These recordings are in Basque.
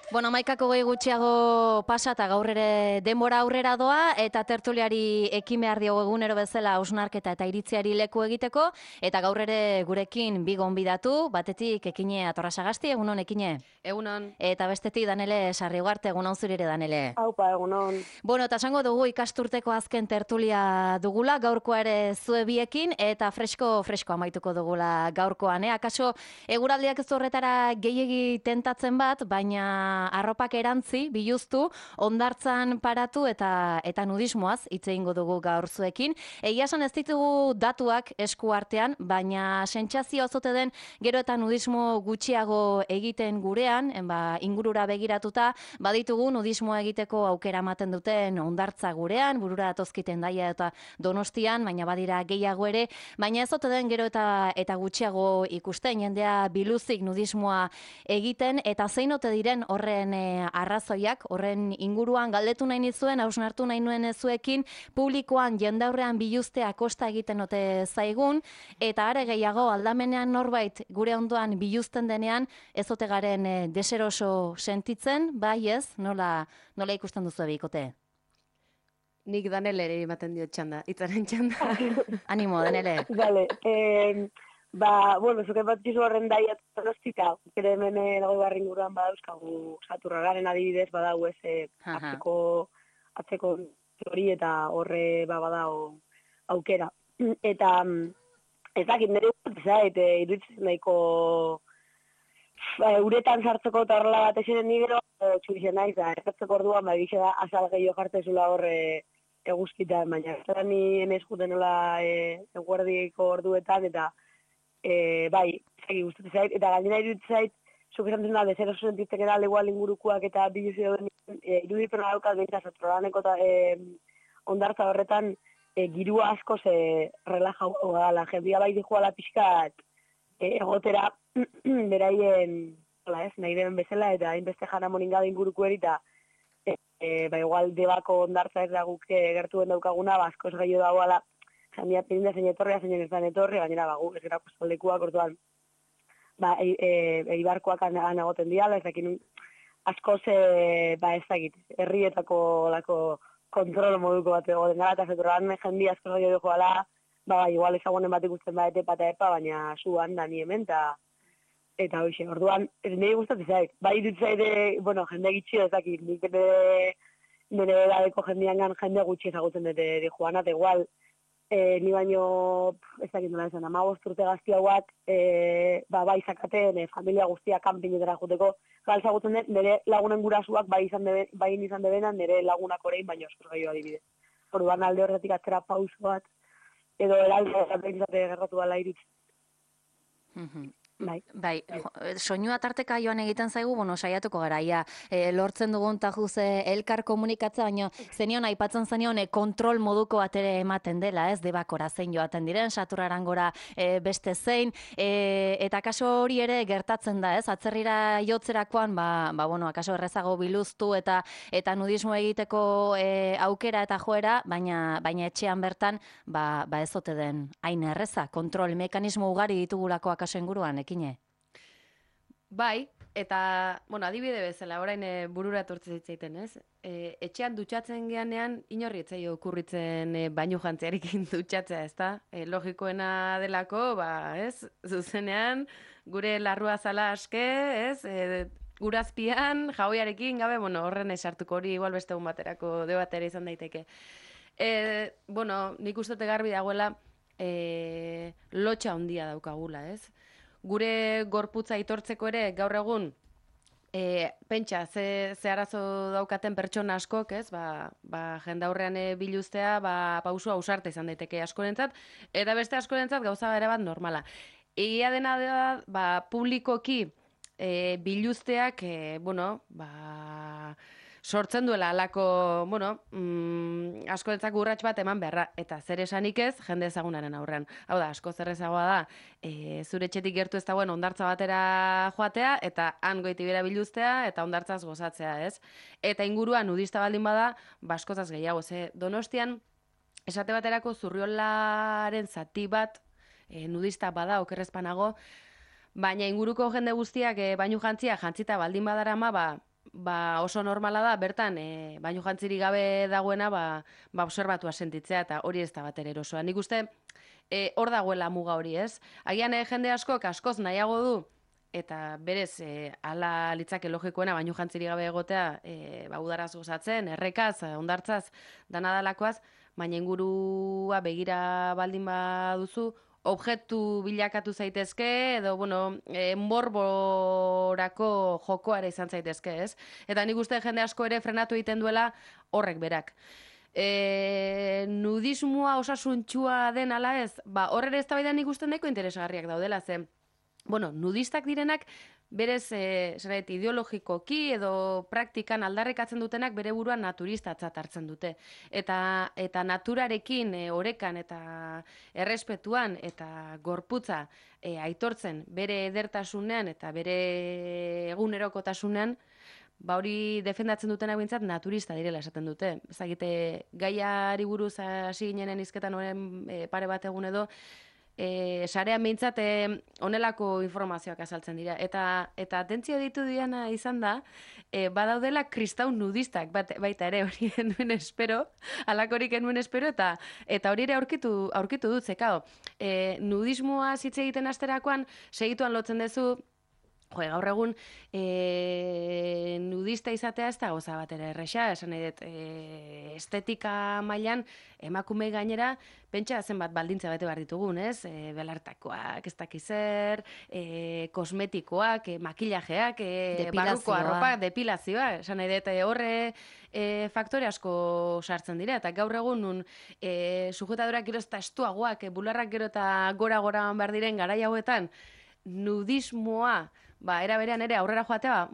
Bueno, amaikako gehi gutxiago pasa eta gaur ere denbora aurrera doa eta tertuliari ekin behar diogu egunero bezala hausnarketa eta iritziari leku egiteko eta gaur ere gurekin bi gonbidatu, batetik Ekine Atorrasagasti, egunon Ekine. Egunon. Eta bestetik Danele Sarriugarte, egunon zuri ere Danele. Aupa, egunon. Bueno, eta esango dugu ikasturteko azken tertulia dugula, gaurkoa ere zue biekin, eta fresko amaituko dugula gaurkoan. Akaso eguraldiak ez horretara gehiegi tentatzen bat, baina arropak erantzi, biluztu, hondartzan paratu eta nudismoaz hitz egingo dugu gaur zuekin. Egia esan ez ditugu datuak esku artean, baina sentsazio azote den gero eta nudismo gutxiago egiten gurean, ingurura begiratuta, baditugu nudismoa egiteko aukera ematen duten hondartza gurean, burura datozkiten daia eta Donostian, baina badira gehiago ere, baina ez ote den gero eta gutxiago ikusten, jendea biluzik nudismoa egiten, eta zein ote diren horren arrazoiak, horren inguruan galdetu nahi nizuen, hausnartu nahi nuen zuekin, publikoan jendaurrean biluztea kosta egiten ote zaigun, eta are gehiago aldamenean norbait gure ondoan biluzten denean, ez ote garen deseroso sentitzen, bai ez, nola ikusten duzu bikote? Nik Danele ere ematen diot txanda, itzaren txanda. Animo, Danele. Vale, bueno, zuke bat gizu horren daia Donostika, kere hemen dago barri inguruan badauzkagu saturragaren adibidez, badau ez atzeko hori eta horre badao aukera. Eta ez dakit, nire zait, iruditzen nahiko uretan sartzeko eta horrela bat esenen nigero, txurixen naiz, da, erratzeko orduan, egixe da, azal gehiago jartzezula horre eguzkitan, baina ez ni emez juten nola eguerdiko orduetan, eta bai, zegi guztetu zait, eta gainera iruditzen zait, zuk esan duzuna, bezero sentitzek edal igual ingurukoak eta biluzi dauden, iruditzen daukat behintzat, zatrolaneko eta ondartza horretan, girua asko relaja gala, jendia bai dijoala pixkat, egotera beraien, nahi deben bezala, eta hainbeste jana moningada inguruko erita, igual debako ondartza ez da guk gertuen daukaguna, askoz gehiago dagoala, jendia pirinda zein etorria, zein ez da etorri, gainera gu ez gerako zaldekuak, orduan, eibarkoak egoten diala, ez dakin askoz, ez dakit, herrietako lako kontrol moduko bat egoten gara, eta zetorran jendia askoz gehiago joala, igual ezagunen bat ikusten bat epa, baina zuan da ni hemen, eta hoxe, orduan, ez nire gustatzen zait. Bai dut zaide, bueno, jende gitxio ez dakit, nik nire edadeko jendean jende gutxi ezagutzen dute di joana, eta igual, ni baino, ez dakit nola esan, 15 urte gazti hauak, bai zakaten, familia guztia kanpinetara joteko, ezagutzen dut, nire lagunen gurasuak bai izan debenan, nire lagunak orain, baino askoz gehiago adibidez. Orduan alde horretik atzera pauso bat, edo eralde gerratu dala irutzen. Bai, soinua tarteka joan egiten zaigu, saiatuko gara, lortzen dugun tajuz elkar komunikatza, baina zenion aipatzen zenion kontrol moduko bat ere ematen dela, ez, debakora zein joaten diren, saturraran gora beste zein, eta kaso hori ere gertatzen da, ez, atzerrira jotzerakoan, akaso errezago biluztu eta nudismo egiteko aukera eta joera, baina etxean bertan, ez ote den hain erreza, kontrol mekanismo ugari ditugulako akaso inguruan, Ekine? Bai, eta, adibide bezala, orain burura etortzen zitzaiten, ez? Etxean dutxatzen geanean, inorri etzaio okurritzen bainu jantziarekin dutxatzea, ez da? Logikoena delako, ez? Zuzenean, gure larrua zala aske, ez? Urazpian, jaoiarekin, gabe, horren esartuko hori igual beste egun baterako debatera izan daiteke. Nik uste garbi dagoela, lotxa handia daukagula, ez? Gure gorputza itortzeko ere gaur egun pentsa ze arazo daukaten pertsona askok, ez? Jendaurrean biluztea, pausua ausarta izan daiteke askorentzat, eta beste askorentzat gauza ere bat normala. Egia dena da, publikoki biluzteak, sortzen duela alako, askorentzak urrats bat eman beharra, eta zer esanik ez, jende ezagunaren aurrean. Hau da, asko zer ezagoa da, zure etxetik gertu ez dagoen ondartza batera joatea, eta han goitibera biluztea, eta ondartzaz gozatzea, ez? Eta inguruan nudista baldin bada, askozaz gehiago, Donostian, esate baterako Zurriolaren zati bat, nudista bada, okerrezpanago, baina inguruko jende guztiak bainu jantzita baldin badarama, oso normala da, bertan, baino jantzirik gabe dagoena, obserbatua sentitzea, eta hori ez da bat ere erosoa. Nik uste, hor dagoela muga hori, ez? Agian jende askoz nahiago du, eta berez, ala litzake logikoena, baino jantzirik gabe egotea, udaraz gozatzen, errekaz, ondartzaz, danadalakoaz, baina ingurua begira baldin baduzu, objektu bilakatu zaitezke, edo, morborako jokoare izan zaitezke, ez? Eta nik uste jende asko ere frenatu egiten duela horrek berak. Nudismoa osasuntxua den ala ez? Horre ez da nik uste nahiko interesgarriak daudela, ze nudistak direnak berez ideologikoki edo praktikan aldarrekatzen dutenak bere buruan naturistatzat hartzen dute. Eta naturarekin orekan eta errespetuan eta gorputza aitortzen bere edertasunean eta bere egunerokotasunean, hori defendatzen dutenak bintzat naturista direla esaten dute. Ezagite, gaiari buruz hasi ginenen hizketan horren pare bat egun edo, sarean behintzat onelako informazioak azaltzen dira. Eta atentzio ditu diana izan da, badaudela kristau nudistak baita ere hori enuen espero, alakorik enuen espero, eta hori ere aurkitu dut, zekao. Nudismoa zitze egiten asterakoan, segituan lotzen duzu, gaur egun nudista izatea ez da goza bat ere erresa, esan nahi dut, estetika mailan emakume gainera, pentsa zenbat baldintza bete behar ditugun, ez? Belartakoak, ez dakizer, kosmetikoak, makillajeak, barruko arropak, depilazioa, esan nahi dut, horre faktore asko sartzen dira, eta gaur egun nun sujetadorak gero eta estuagoak, bularrak gero eta gora behar diren garai hauetan, nudismoa, era berean ere aurrera joatea,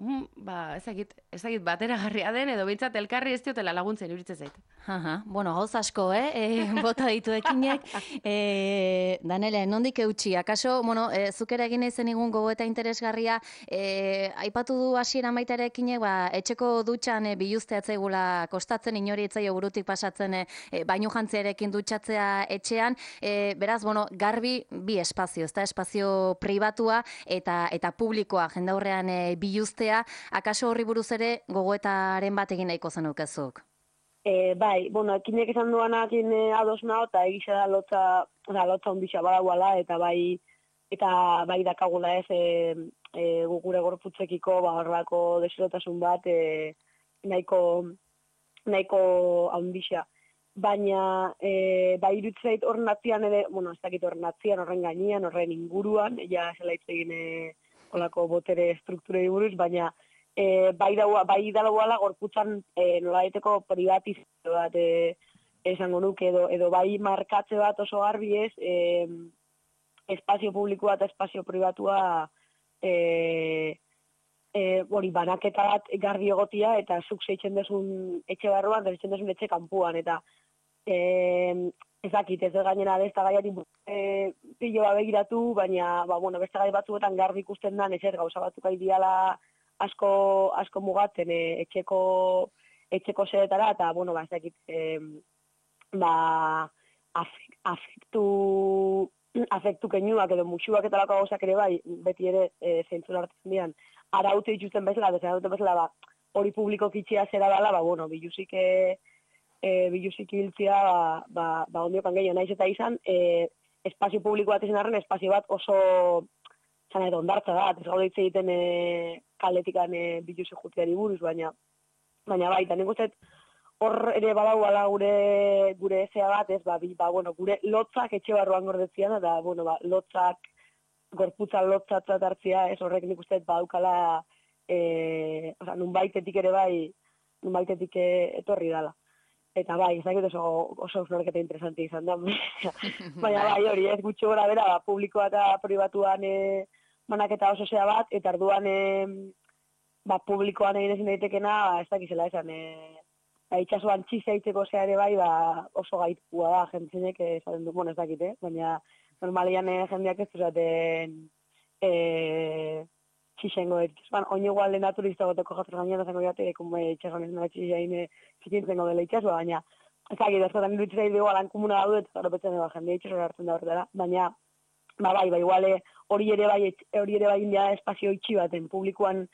ezagit bateragarria den, edo behintzat elkarri ez diotela laguntzen iruditzen zait. Gauz asko, bota ditu ekinek. Danele, nondik eutxi? Akaso, zuk ere egin ezen igun gogoeta interesgarria, aipatu du hasiera baita ere ekinek, etxeko dutxan biluzteatzaigula kostatzen, inori etzaio burutik pasatzen bainu jantziarekin dutxatzea etxean, beraz, garbi bi espazio, ez da, espazio pribatua eta publikoa jendaurrean biluztea, akaso horri buruz ere gogoetaren bat egin nahiko zenukezuk? Bai, ekinek esan duanakin ados nao, eta egisa da lotza ondisa badagoala, eta bai dakagula ez gure gorputzekiko horrelako desirotasun bat nahiko ondisa. Baina, irutzeit horren atzian ere, ez dakit horren atzian, horren gainean, horren inguruan, ja zela hitz egin olako botere strukturei buruz, baina bai dagoela gorputzan nolaiteko privatizazio bat esango nuke edo bai markatze bat oso garbi ez espazio publikoa eta espazio pribatua banaketa bat garbi egotia eta zuk zeitzen dezun etxe barruan, zeitzen dezun etxe kanpuan eta ez dakit, ez gainera ez da gaiari piloa begiratu, baina beste gai batzuetan garbi ikusten da, ezer gauza batzuk aidiala asko mugatzen etxeko xedetara, eta, ez dakit, afektu keinuak edo musuak eta lako gauzak ere bai, beti ere zentzun hartzen dian, araute dituzten bezala, hori publiko kitxea zera dela, bilusik hiltzia, ondiokan gehiago naiz eta izan, espazio publiko bat izan arren, espazio bat oso zan edo ondartza da, ez gaude hitz egiten kaletikan biluzik jutziari buruz, baina bai, eta nik uste hor ere badauala gure ezea bat, ez, gure lotzak etxe barruan gordetzian, eta, lotzak, gorputzan lotzatzat hartzia, ez horrek nik uste badaukala, nunbaitetik ere bai, nunbaitetik etorri dala. Eta bai, ez dakit oso ausnarketa interesanti izan da. Baina bai, hori, ez gutxi gora bera, publikoa eta pribatuan banaketa oso zea bat, eta arduan publikoan egin ezin daitekena, ez dakizela esan, itxasuan txizea itzeko zea ere bai, oso gaitua da, jentzinek esaten du, ez dakit, baina normalian jendeak ez duzaten txixengo itxasuan, oin egualde naturista goteko jatzen gainean, zango jate, itxasuan ez nara txixein zikintzen dela itxasua, baina ez dakit, ezkotan iruditzea dugu alan komuna daude, eta gero betzen dugu jendea itxasua hartzen da horretara, baina iguale hori ere bai india espazio itxi baten, publikoan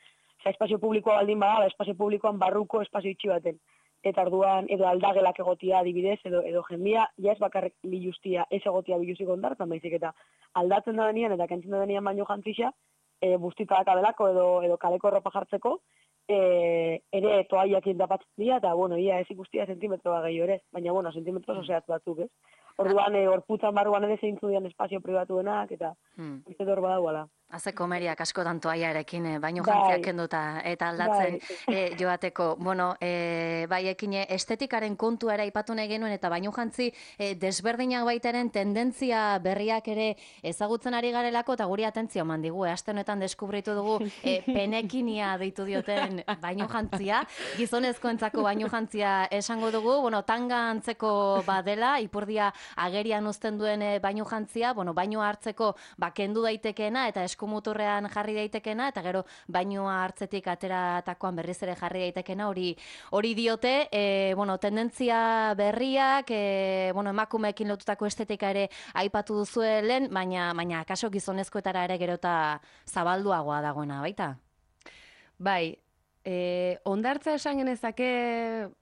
espazio publikoa baldin bada, espazio publikoan barruko espazio itxi baten. Eta orduan, edo aldagelak egotia adibidez, edo jendia, ja ez bakarrik biluztia, ez egotia biluzik ondartan, baizik eta aldatzen da denean, eta kentzen da denean baino jantzisa, bustitak abelako edo kaleko erropa jartzeko, ere toaiakin tapatzen dira, eta, bueno, ia ez ikustia sentimetroa gehiago ere, baina, bueno, sentimetro oseat batzuk, ez? Orduan, gorputzan barruan ere zeintzu dian espazio pribatuenak, eta uste hor badauala. Haze komeriak askotan toaiarekin, baino jantziak kenduta eta aldatzen joateko. Bueno, bai ekin estetikaren kontua ere aipatu nahi genuen eta baino jantzi desberdinak baitaren tendentzia berriak ere ezagutzen ari garelako eta guri atentzio eman digu. Aste honetan deskubritu dugu penekinia deitu dioten baino jantzia, gizonezkoentzako baino jantzia esango dugu, bueno, tanga antzeko badela, ipurdia agerian uzten duen baino jantzia, bueno, baino hartzeko kendu daitekeena eta eskumuturrean jarri daitekena, eta gero bainua hartzetik ateratakoan berriz ere jarri daitekena, hori diote, bueno, tendentzia berriak, bueno, emakumeekin lotutako estetika ere aipatu duzue lehen, baina akaso gizonezkoetara ere gerota zabalduagoa dagoena, baita? Bai, ondartza esan genezake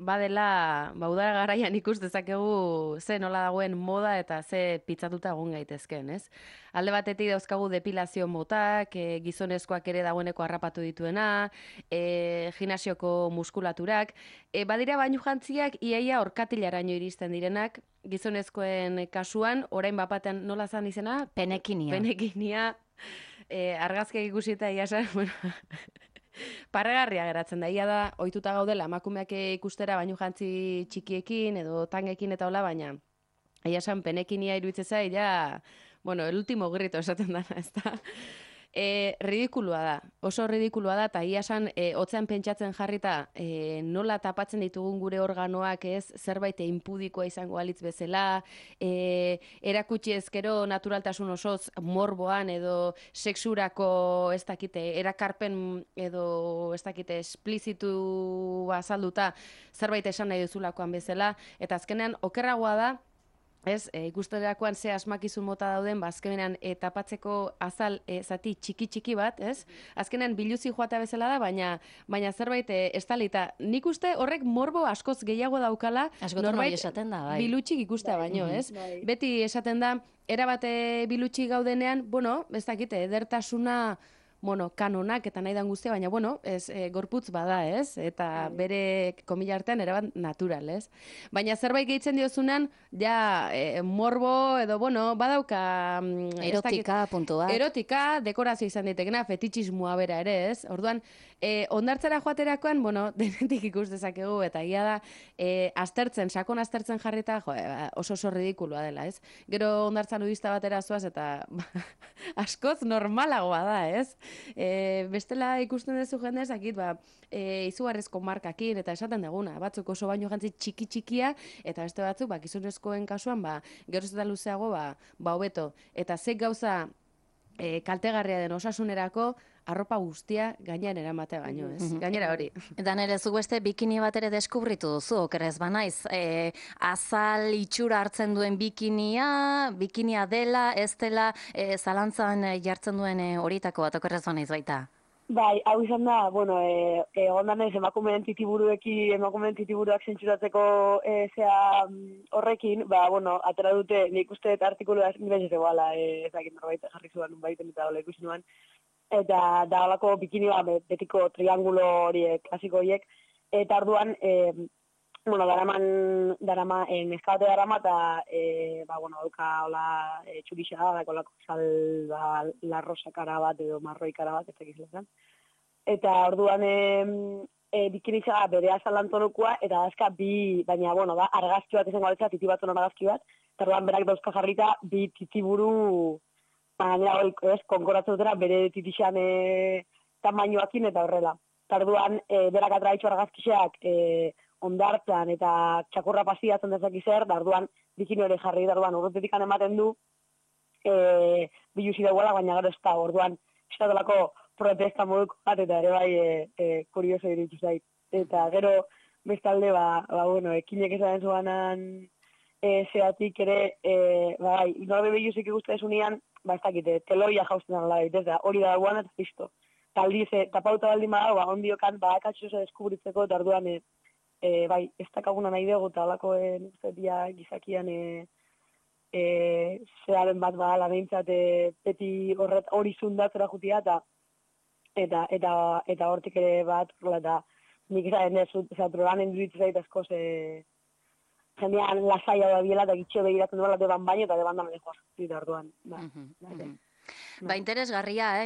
badela, udara garaian ikus dezakegu ze nola dagoen moda eta ze pitzatuta egon gaitezken, ez? Alde batetik dauzkagu depilazio motak, gizonezkoak ere dagoeneko harrapatu dituena, gimnasioko muskulaturak, badira bainu jantziak iaia orkatilaraino iristen direnak, gizonezkoen kasuan, orain bapatean nola zan izena? Penekinia. Penekinia, argazkiak ikusita iasan, bueno... Parregarria geratzen da, ia da, ohituta gaudela emakumeak ikustera bainu jantzi txikiekin edo tangekin eta hola, baina ia esan penekinia iruditzen zait, ja, bueno, el último grito esaten dana, ez da. Ridikulua da, oso ridikulua da, eta ia esan, hotzean pentsatzen jarrita, nola tapatzen ditugun gure organoak ez, zerbait inpudikoa izango alitz bezala, erakutsi ezkero naturaltasun osoz morboan edo sexurako ez dakite, erakarpen edo ez dakite esplizitu azalduta zerbait esan nahi duzulakoan bezala, eta azkenean okerragoa da, ez, ikusterakoan ze asmakizun mota dauden, azkenean tapatzeko azal zati txiki bat, ez? Azkenean biluzi joatea bezala da, baina zerbait estalita. Nik uste horrek morbo askoz gehiago daukala, norbait esaten da, bai. Bilutxik ikustea baino, ez? Beti esaten da, erabate bilutxik gaudenean, bueno, ez dakite, edertasuna... bueno, kanonak eta nahi dan guztia, baina, bueno, gorputz bada, ez? Eta bere komila artean erabat natural, ez? Baina zerbait gehitzen diozunan, ja, morbo edo, bueno, badauka... erotika, puntu bat. Erotika, dekorazio izan ditekena, fetitxismoa bera ere, ez? Orduan, ondartzera joaterakoan, bueno, denetik ikus dezakegu, eta ia da, sakon aztertzen jarrita, oso ridikulua dela, ez? Gero ondartza nudista batera zoaz, eta askoz normalagoa da, ez? Bestela ikusten duzu jende ezakit, izugarrezko markakin eta esaten deguna, batzuk oso baino jantzi txikia eta beste batzuk gizonezkoen kasuan geroz eta luzeago hobeto, eta ze gauza kaltegarria den osasunerako arropa guztia gainean eramatea baino, ez? Gainera hori. Eta nire zu beste bikini bat ere deskubritu duzu, okerrez banaiz. Azal itxura hartzen duen bikinia dela, ez dela, zalantzan jartzen duen horietako bat, okerrez banaiz baita. Bai, hau izan da, bueno, ondan ez emakumeen titiburuak zentsuratzeko horrekin, bueno, atera dute, nik uste artikulua ez egoala, ezakit norbait jarri zuan baiten eta hola ikusi nuan, eta da holako bikini betiko triangulo horiek, klasiko horiek, eta orduan, bueno, darama, neskabate darama, eta, bueno, dauka hola txurixa, dako holako sal, la rosa kara bat edo marroi kara bat, ez dakizlezan. Eta orduan bikiniza bere azalantonokoa, eta dazka baina, bueno, da, argazki bat izango aletza, titi batzun argazki bat, eta orduan berak dauzka jarrita, bi titiburu, baina, konkoratzen dutera, bere titixan tamainoakin eta horrela. Eta orduan, berak atraitxo argazkiseak ondartzan eta txakurra pasiatzen dezaki zer, da orduan, bikini hori jarri, da orduan, urrutetik ematen du, biluzi dagoela, baina gero ez da, orduan, estatolako protesta moduko bat, eta ere bai kurioso iritsi zait. Eta gero, bestalde, bueno, ekinek esan zuanan zeatik ere, bai, norbe biluzik ikusten esunean, ez dakite, teloia jausten dara, ez da, hori da guan eta listo. aldiz, tapauta baldin badago, ondiokan, akatxo deskubritzeko, eta orduan, bai, ez dakaguna nahi dugu, eta alakoen, gizakian, zeraren bat badala behintzat, beti hori zundatzera jutia, eta hortik ere bat, eta nik izan ez, programen duditzen zait asko, jendean lasaia da biela, eta gitxo begiratzen duela deban baino, eta deban da mejor, eta orduan, Ba, interesgarria,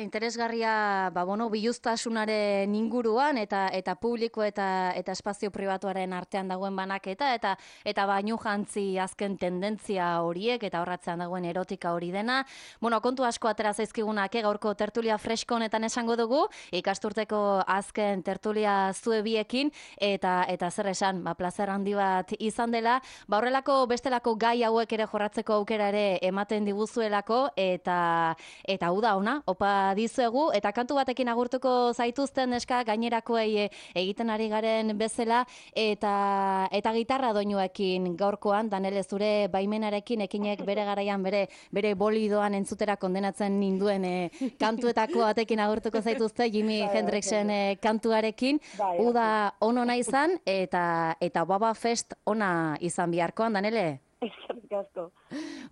biluztasunaren inguruan eta publiko eta espazio pribatuaren artean dagoen banaketa eta bainu jantzi azken tendentzia horiek eta horratzean dagoen erotika hori dena. Kontu asko atera zaizkigunak, gaurko tertulia fresko honetan esango dugu, ikasturteko azken tertulia zuebiekin eta zer esan, plazer handi bat izan dela, horrelako bestelako gai hauek ere jorratzeko aukera ere ematen diguzuelako eta hau da ona, opa dizuegu, eta kantu batekin agurtuko zaituzten neska gainerakoei egiten ari garen bezala, eta gitarra doinuekin gaurkoan, Danele, zure baimenarekin ekinek bere garaian bere bolidoan entzutera kondenatzen ninduen kantuetako batekin agurtuko zaituzte, Jimi Hendrixen kantuarekin, uda onona izan, eta Baba Fest ona izan biharkoan, Danele? Eskerrik asko.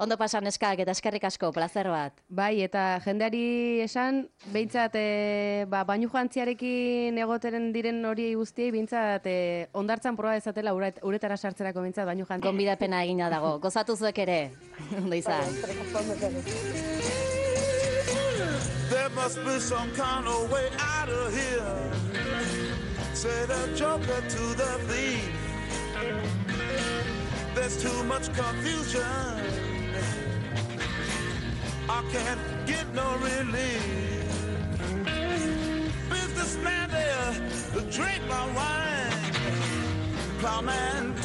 Ondo pasan eskak eta eskerrik asko, plazer bat. Bai, eta jendeari esan, behintzat, bainu jantziarekin egoteren diren hori guztiei, behintzat, ondartzan proba dezatela uretara sartzerako behintzat bainu jantziarekin. Gonbidapena egina dago, gozatu zuek ere, ondo izan. There must be some kind of way out of here, said a joker to the thief. There's too much confusion, I can't get no relief. Businessman there, drink my wine, plowman